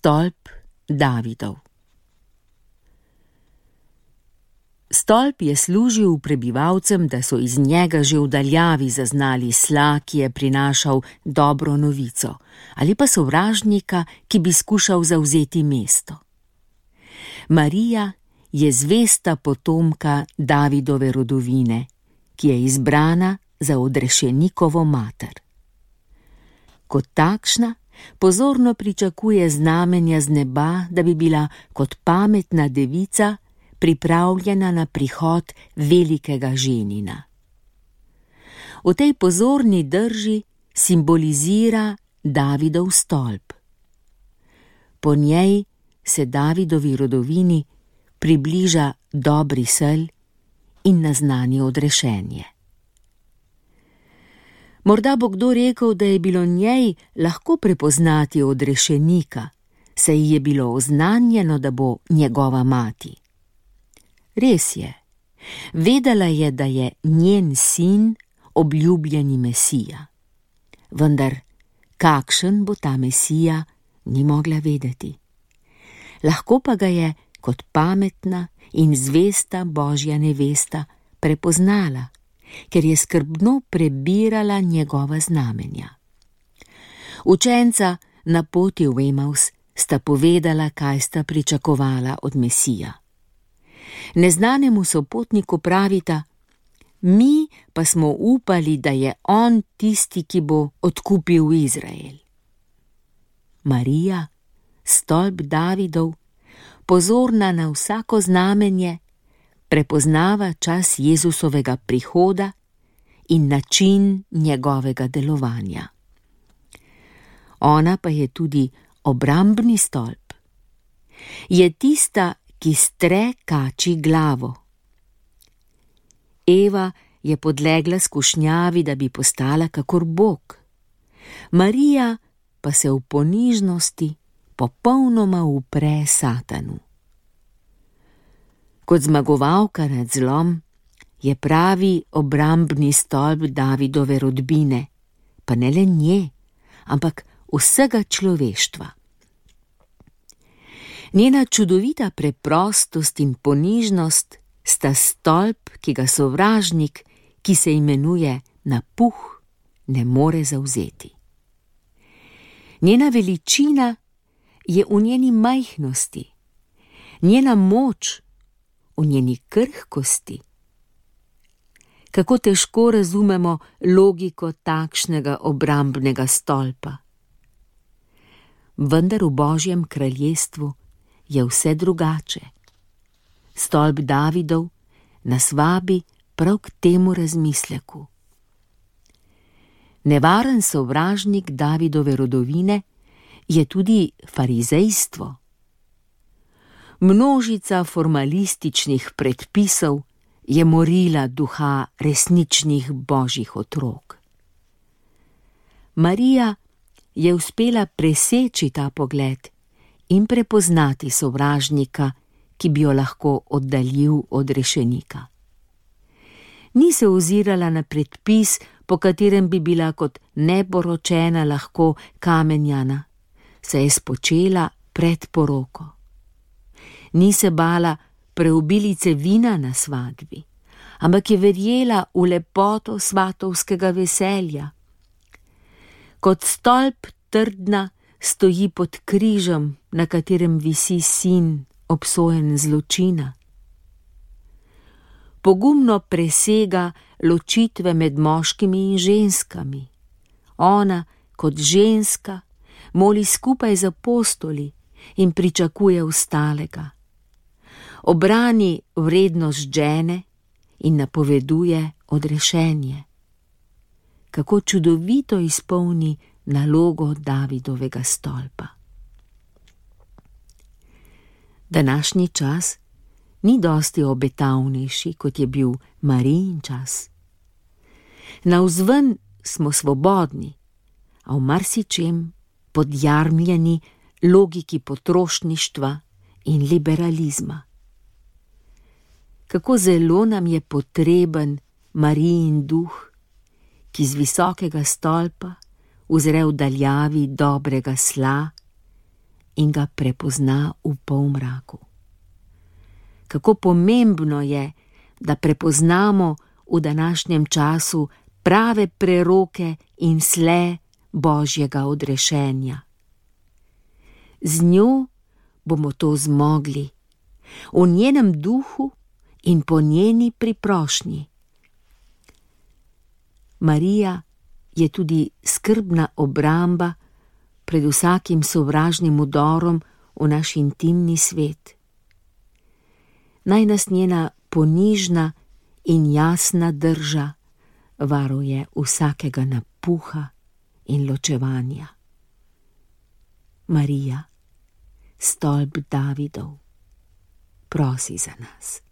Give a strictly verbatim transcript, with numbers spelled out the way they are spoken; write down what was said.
Stolp Davidov. Stolp je služil prebivalcem, da so iz njega že v daljavi zaznali sla, ki je prinašal dobro novico, ali pa sovražnika, ki bi skušal zavzeti mesto. Marija je zvesta potomka Davidove rodovine, ki je izbrana za odrešenikovo mater. Kot takšna pozorno pričakuje znamenja z neba, da bi bila kot pametna devica pripravljena na prihod velikega ženina. V tej pozorni drži simbolizira Davidov stolp. Po njej se Davidovi rodovini približa dobri sel in naznani odrešenje. Morda bo kdo rekel, da je bilo njej lahko prepoznati odrešenika, saj je bilo oznanjeno, da bo njegova mati. Res je, vedela je, da je njen sin obljubljeni Mesija. Vendar, kakšen bo ta Mesija, ni mogla vedeti. Lahko pa ga je kot pametna in zvesta Božja nevesta prepoznala, ker je skrbno prebirala njegova znamenja. Učenca na poti v Emaus sta povedala, kaj sta pričakovala od Mesija. Neznanemu sopotniku pravita: mi pa smo upali, da je on tisti, ki bo odkupil Izrael. Marija, stolp Davidov, pozorna na vsako znamenje, prepoznava čas Jezusovega prihoda in način njegovega delovanja. Ona pa je tudi obrambni stolp. Je tista, ki stre kači glavo. Eva je podlegla skušnjavi, da bi postala kakor Bog. Marija pa se v ponižnosti popolnoma upre Satanu. Kot zmagovalka nad zlom je pravi obrambni stolp Davidove rodbine, pa ne le nje, ampak vsega človeštva. Njena čudovita preprostost in ponižnost sta stolp, ki ga sovražnik, ki se imenuje napuh, ne more zavzeti. Njena veličina je v njeni majhnosti, njena moč v njeni krhkosti. Kako težko razumemo logiko takšnega obrambnega stolpa. Vendar v Božjem kraljestvu je vse drugače. Stolp Davidov nas vabi prav k temu razmisleku. Nevaren sovražnik Davidove rodovine je tudi farizejstvo. Množica formalističnih predpisov je morila duha resničnih božjih otrok. Marija je uspela preseči ta pogled in prepoznati sovražnika, ki bi jo lahko oddaljil od rešenika. Ni se ozirala na predpis, po katerem bi bila kot neporočena lahko kamenjana, se je spočela pred poroko. Ni se bala preobilice vina na svadbi, ampak je verjela v lepoto svatovskega veselja. Kot stolp trdna stoji pod križem, na katerem visi sin, obsojen zločina. Pogumno presega ločitve med moškimi in ženskami. Ona, kot ženska, moli skupaj z apostoli in pričakuje ostalega. Obrani vrednost žene in napoveduje odrešenje. Kako čudovito izpolni nalogo Davidovega stolpa. Današnji čas ni dosti obetavnejši, kot je bil Marijin čas. Navzven smo svobodni, a v marsičem podjarmljeni logiki potrošništva in liberalizma. Kako zelo nam je potreben Marijin duh, ki z visokega stolpa uzre v daljavi dobrega sla in ga prepozna v polmraku. Kako pomembno je, da prepoznamo v današnjem času prave preroke in sle Božjega odrešenja. Z njo bomo to zmogli, v njenem duhu in po njeni priprošnji. Marija je tudi skrbna obramba pred vsakim sovražnim udorom v naš intimni svet. Naj nas njena ponižna in jasna drža varuje vsakega napuha in ločevanja. Marija, stolp Davidov, prosi za nas.